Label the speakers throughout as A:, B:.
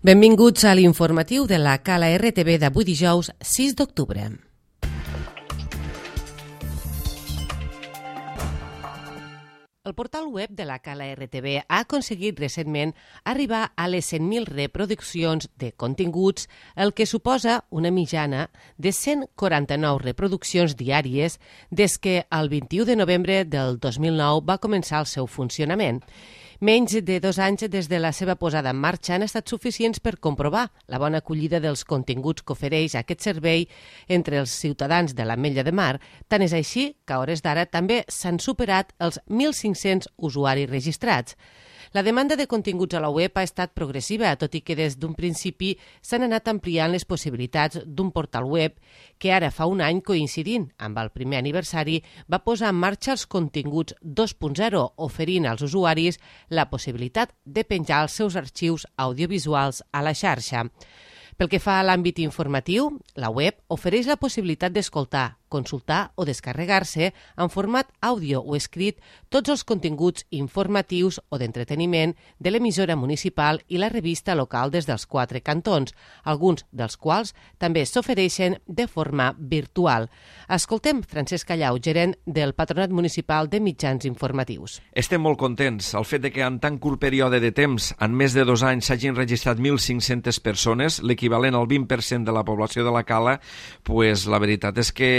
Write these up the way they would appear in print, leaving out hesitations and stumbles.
A: Benvinguts a l'informatiu de la Cala RTV d'avui dijous 6 d'octubre. El portal web de la Cala RTV ha aconseguit recentment arribar a les 100.000 reproduccions de continguts, el que suposa una mitjana de 149 reproduccions diàries des que el 21 de novembre del 2009 va començar el seu funcionament. Menys de 2 anys des de la seva posada en marxa han estat suficients per comprovar la bona acollida dels continguts que ofereix aquest servei entre els ciutadans de l'Ametlla de Mar. Tant és així que a hores d'ara també s'han superat els 1.500 usuaris registrats. La demanda de continguts a la web ha estat progressiva, tot i que des d'un principi s'han anat ampliant les possibilitats d'un portal web que ara fa un any, coincidint amb el primer aniversari, va posar en marxa els continguts 2.0, oferint als usuaris la possibilitat de penjar els seus arxius audiovisuals a la xarxa. Pel que fa a l'àmbit informatiu, la web ofereix la possibilitat d'escoltar, consultar o descarregar-se en format àudio o escrit tots els continguts informatius o d'entreteniment de l'emissora municipal i la revista local des dels 4 cantons, alguns dels quals també s'ofereixen de forma virtual. Escoltem Francesc Callau, gerent del Patronat Municipal de Mitjans Informatius.
B: Estem molt contents. El fet de que en tan curt període de temps, en més de 2 anys, s'hagin registrat 1.500 persones, l'equivalent al 20% de la població de la Cala, pues la veritat és que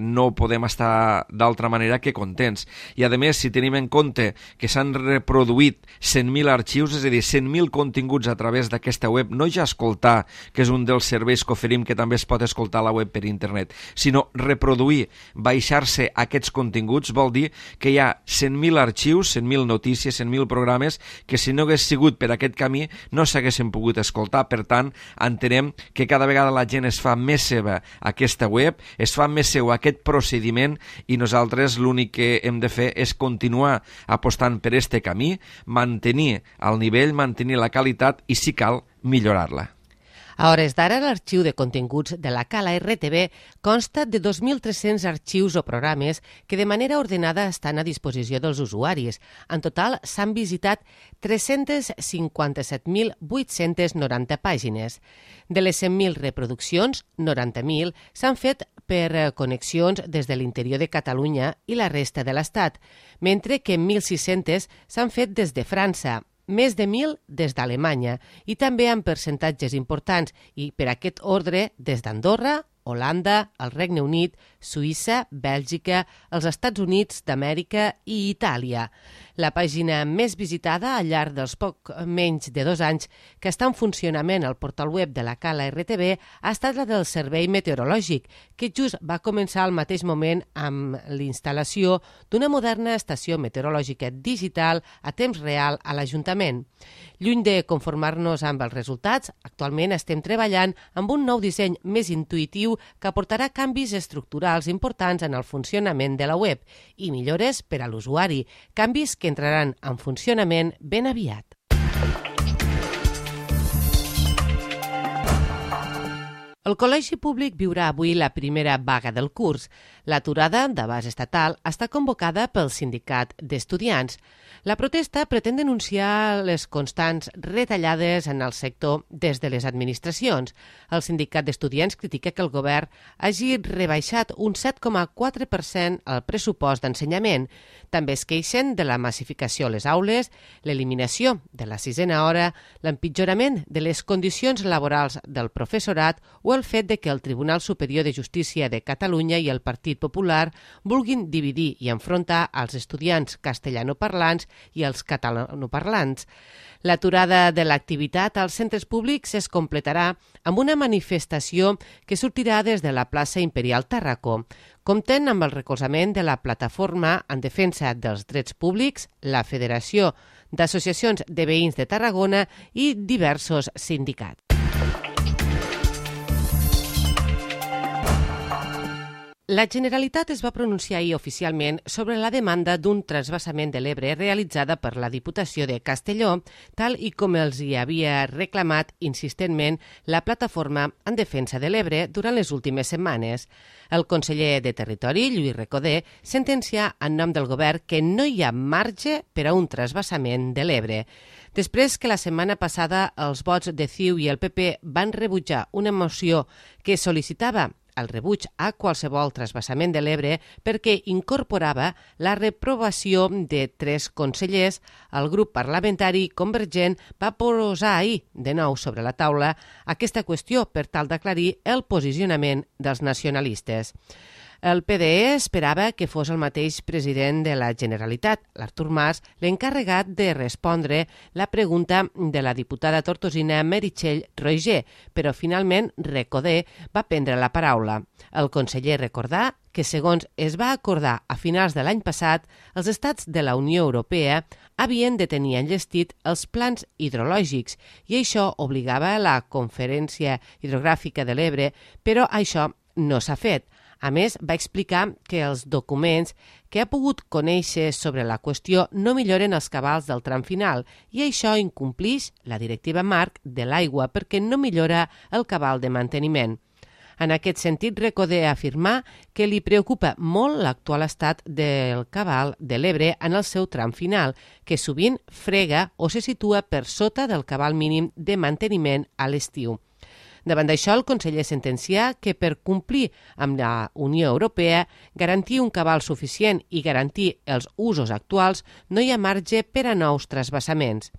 B: no podem estar d'altra manera que contents. I a més, si tenim en compte que s'han reproduït 100.000 arxius, és a dir, 100.000 continguts a través d'aquesta web, no ja escoltar, que és un dels serveis que oferim que també es pot escoltar a la web per internet, sinó reproduir, baixar-se aquests continguts, vol dir que hi ha 100.000 arxius, 100.000 notícies, 100.000 programes que si no hagués sigut per aquest camí no s'haguessin pogut escoltar. Per tant, entenem que cada vegada la gent es fa més seva aquesta web, es fa més seu aquest procediment i nosaltres l'únic que hem de fer és continuar apostant per este camí, mantenir el nivell, mantenir la qualitat i, si cal, millorar-la.
A: A hores d'ara, l'arxiu de continguts de la Cala RTV consta de 2.300 arxius o programes que de manera ordenada estan a disposició dels usuaris. En total, s'han visitat 357.890 pàgines. De les 100.000 reproduccions, 90.000 s'han fet per connexions des de l'interior de Catalunya i la resta de l'Estat, mentre que 1.600 s'han fet des de França, més de 1.000 des d'Alemanya i també amb percentatges importants i per aquest ordre des d'Andorra, Holanda, el Regne Unit, Suïssa, Bèlgica, els Estats Units d'Amèrica i Itàlia. La pàgina més visitada al llarg dels poc menys de 2 anys que està en funcionament al portal web de la Cala RTV ha estat la del Servei Meteorològic, que just va començar al mateix moment amb l'instal·lació d'una moderna estació meteorològica digital a temps real a l'Ajuntament. Lluny de conformar-nos amb els resultats, actualment estem treballant amb un nou disseny més intuïtiu que aportarà canvis estructurals importants en el funcionament de la web i millores per a l'usuari, canvis que entraran en funcionament ben aviat. El Col·legi Públic viurà avui la primera vaga del curs. L'aturada d'abast estatal està convocada pel Sindicat d'Estudiants. La protesta pretén denunciar les constants retallades en el sector des de les administracions. El Sindicat d'Estudiants critica que el govern hagi rebaixat un 7,4% el pressupost d'ensenyament. També es queixen de la massificació a les aules, l'eliminació de la 6a hora, l'empitjorament de les condicions laborals del professorat o el fet de que el Tribunal Superior de Justícia de Catalunya i el Partit Popular vulguin dividir i enfrontar els estudiants castellanoparlants i els catalanoparlants. L'aturada de l'activitat als centres públics es completarà amb una manifestació que sortirà des de la plaça Imperial Tàrraco. Compten amb el recolzament de la Plataforma en Defensa dels Drets Públics, la Federació d'Associacions de Veïns de Tarragona i diversos sindicats. La Generalitat es va pronunciar ahir oficialment sobre la demanda d'un transvasament de l'Ebre realitzada per la Diputació de Castelló, tal i com els hi havia reclamat insistentment la Plataforma en Defensa de l'Ebre durant les últimes setmanes. El conseller de Territori, Lluís Recoder, sentencià en nom del govern que no hi ha marge per a un transvasament de l'Ebre. Després que la setmana passada els vots de CiU i el PP van rebutjar una moció que sol·licitava el rebuig a qualsevol trasbassament de l'Ebre perquè incorporava la reprovació de 3 consellers, el grup parlamentari convergent va posar ahir de nou sobre la taula aquesta qüestió per tal d'aclarir el posicionament dels nacionalistes. El PDE esperava que fos el mateix president de la Generalitat, l'Artur Mas, l'encarregat de respondre la pregunta de la diputada tortosina Meritxell Roigé, però finalment Recoder va prendre la paraula. El conseller recordà que, segons es va acordar a finals de l'any passat, els estats de la Unió Europea havien de tenir enllestit els plans hidrològics i això obligava a la Conferència Hidrogràfica de l'Ebre, però això no s'ha fet. A més, va explicar que els documents que ha pogut conèixer sobre la qüestió no milloren els cabals del tram final i això incomplix la directiva marc de l'aigua perquè no millora el cabal de manteniment. En aquest sentit, Recoder afirmà que li preocupa molt l'actual estat del cabal de l'Ebre en el seu tram final, que sovint frega o se situa per sota del cabal mínim de manteniment a l'estiu. Davant d'això, el conseller sentencià que per complir amb la Unió Europea, garantir un cabal suficient i garantir els usos actuals, no hi ha marge per a nous trasbassaments.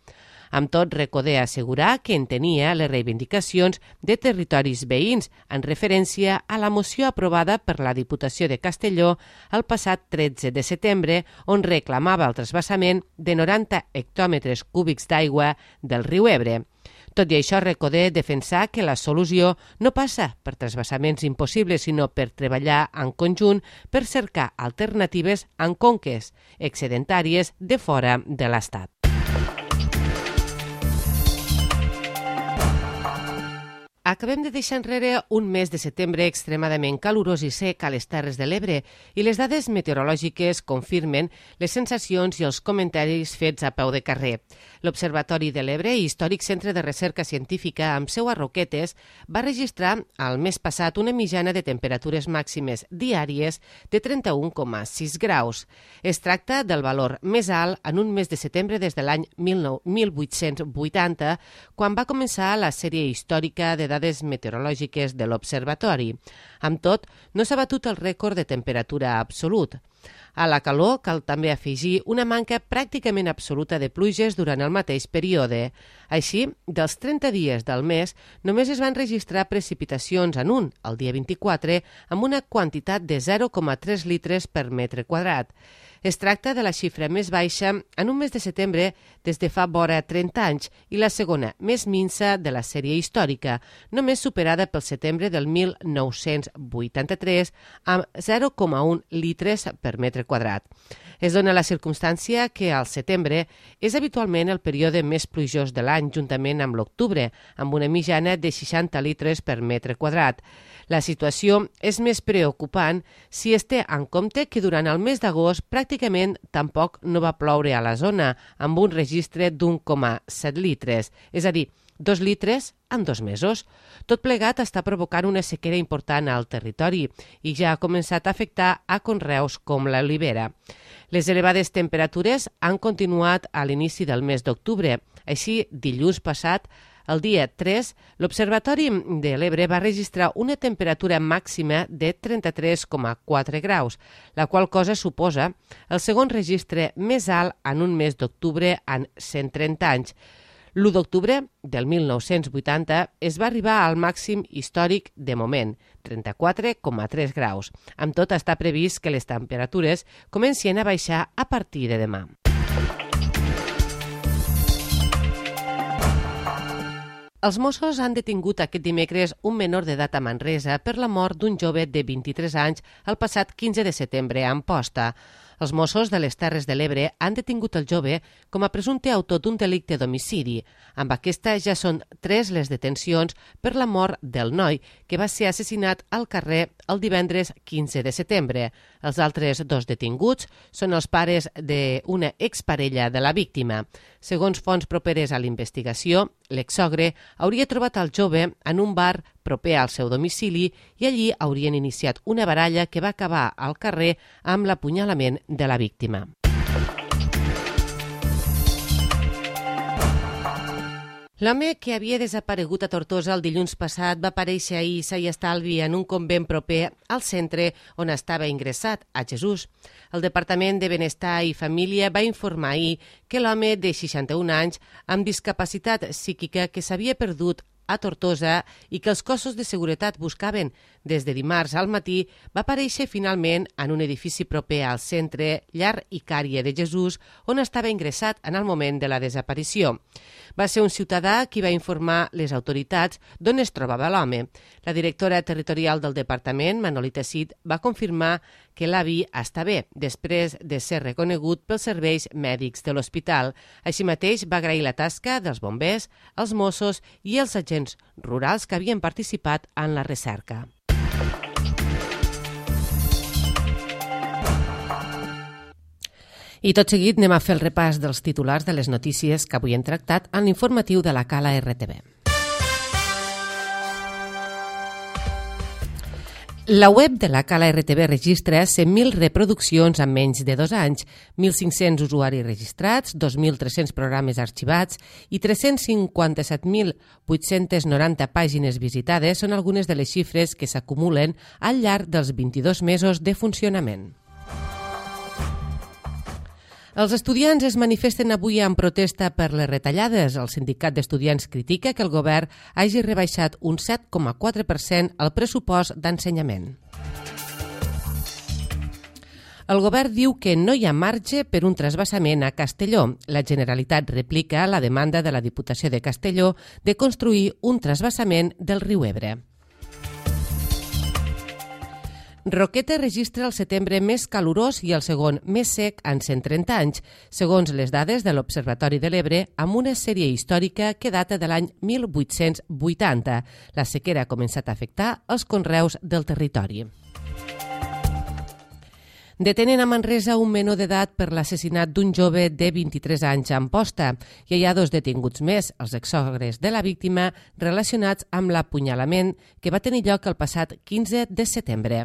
A: Amb tot, Recoder assegurà que entenia les reivindicacions de territoris veïns en referència a la moció aprovada per la Diputació de Castelló el passat 13 de setembre, on reclamava el trasbassament de 90 hectòmetres cúbics d'aigua del riu Ebre. Tot i això, Recoder defensà que la solució no passa per trasbassaments impossibles, sinó per treballar en conjunt per cercar alternatives en conques excedentàries de fora de l'Estat. Acabem de deixar enrere un mes de setembre extremadament calorós i sec a les Terres de l'Ebre i les dades meteorològiques confirmen les sensacions i els comentaris fets a peu de carrer. L'Observatori de l'Ebre, històric centre de recerca científica amb seu a Roquetes, va registrar el mes passat una mitjana de temperatures màximes diàries de 31,6 graus. Es tracta del valor més alt en un mes de setembre des de l'any 1880, quan va començar la sèrie històrica de dades meteorològiques de l'Observatori. Amb tot, no s'ha batut el rècord de temperatura absolut. A la calor cal també afegir una manca pràcticament absoluta de pluges durant el mateix període. Així, dels 30 dies del mes, només es van registrar precipitacions en un, el dia 24, amb una quantitat de 0,3 litres per metre quadrat. Es tracta de la xifra més baixa en un mes de setembre des de fa vora 30 anys i la segona més minsa de la sèrie històrica, només superada pel setembre del 1983 amb 0,1 litres per metre quadrat. Es dona la circumstància que al setembre és habitualment el període més plujós de l'any juntament amb l'octubre, amb una mitjana de 60 litres per metre quadrat. La situació és més preocupant si es té en compte que durant el mes d'agost pràcticament tampoc no va ploure a la zona, amb un registre d'1,7 litres, és a dir, 2 litres en 2 mesos. Tot plegat està provocant una sequera important al territori i ja ha començat a afectar a conreus com l'olivera. Les elevades temperatures han continuat a l'inici del mes d'octubre. Així, dilluns passat, el dia 3, l'Observatori de l'Ebre va registrar una temperatura màxima de 33,4 graus, la qual cosa suposa el segon registre més alt en un mes d'octubre en 130 anys. L'1 d'octubre del 1980 es va arribar al màxim històric de moment, 34,3 graus. Amb tot, està previst que les temperatures comencin a baixar a partir de demà. Els Mossos han detingut aquest dimecres un menor d'edat a Manresa per la mort d'un jove de 23 anys el passat 15 de setembre a Amposta. Els Mossos de les Terres de l'Ebre han detingut el jove com a presumpte autor d'un delicte d'homicidi. Amb aquesta ja són 3 les detencions per la mort del noi, que va ser assassinat al carrer el divendres 15 de setembre. Els altres 2 detinguts són els pares d'una exparella de la víctima. Segons fonts properes a l'investigació, l'exsogre hauria trobat el jove en un bar proper al seu domicili i allí haurien iniciat una baralla que va acabar al carrer amb l'apunyalament de la víctima. L'home que havia desaparegut a Tortosa el dilluns passat va aparèixer ahir sa i estalvi en un convent proper al centre on estava ingressat, a Jesús. El Departament de Benestar i Família va informar ahir que l'home de 61 anys amb discapacitat psíquica que s'havia perdut a Tortosa i que els cossos de seguretat buscaven des de dimarts al matí va aparèixer finalment en un edifici proper al centre Llar Icària de Jesús on estava ingressat en el moment de la desaparició. Va ser un ciutadà qui va informar les autoritats d'on es trobava l'home. La directora territorial del departament, Manolita Cid, va confirmar que l'avi està bé, després de ser reconegut pels serveis mèdics de l'hospital. Així mateix va agrair la tasca dels bombers, els Mossos i els agents rurals que havien participat en la recerca. I tot seguit anem a fer el repàs dels titulars de les notícies que avui hem tractat en l'informatiu de la Cala RTV. La web de la Cala RTV registra 100.000 reproduccions en menys de 2 anys, 1.500 usuaris registrats, 2.300 programes arxivats i 357.890 pàgines visitades són algunes de les xifres que s'acumulen al llarg dels 22 mesos de funcionament. Els estudiants es manifesten avui en protesta per les retallades. El sindicat d'estudiants critica que el govern hagi rebaixat un 7,4% el pressupost d'ensenyament. El govern diu que no hi ha marge per un trasbassament a Castelló. La Generalitat replica la demanda de la Diputació de Castelló de construir un trasbassament del riu Ebre. Roqueta registra el setembre més calorós i el segon més sec en 130 anys, segons les dades de l'Observatori de l'Ebre, amb una sèrie històrica que data de l'any 1880. La sequera ha començat a afectar els conreus del territori. Detenen a Manresa un menor d'edat per l'assassinat d'un jove de 23 anys a Amposta. I hi ha 2 detinguts més, els exsogres de la víctima, relacionats amb l'apunyalament que va tenir lloc el passat 15 de setembre.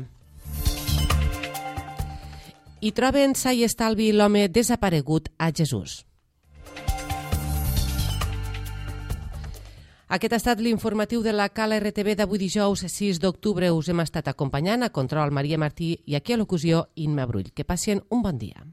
A: I troben sa i estalvi l'home desaparegut a Jesús. Aquest ha estat l'informatiu de la Cala RTV d'avui dijous 6 d'octubre. Us hem estat acompanyant a control Maria Martí i aquí a locució Imma Brull. Que passin un bon dia.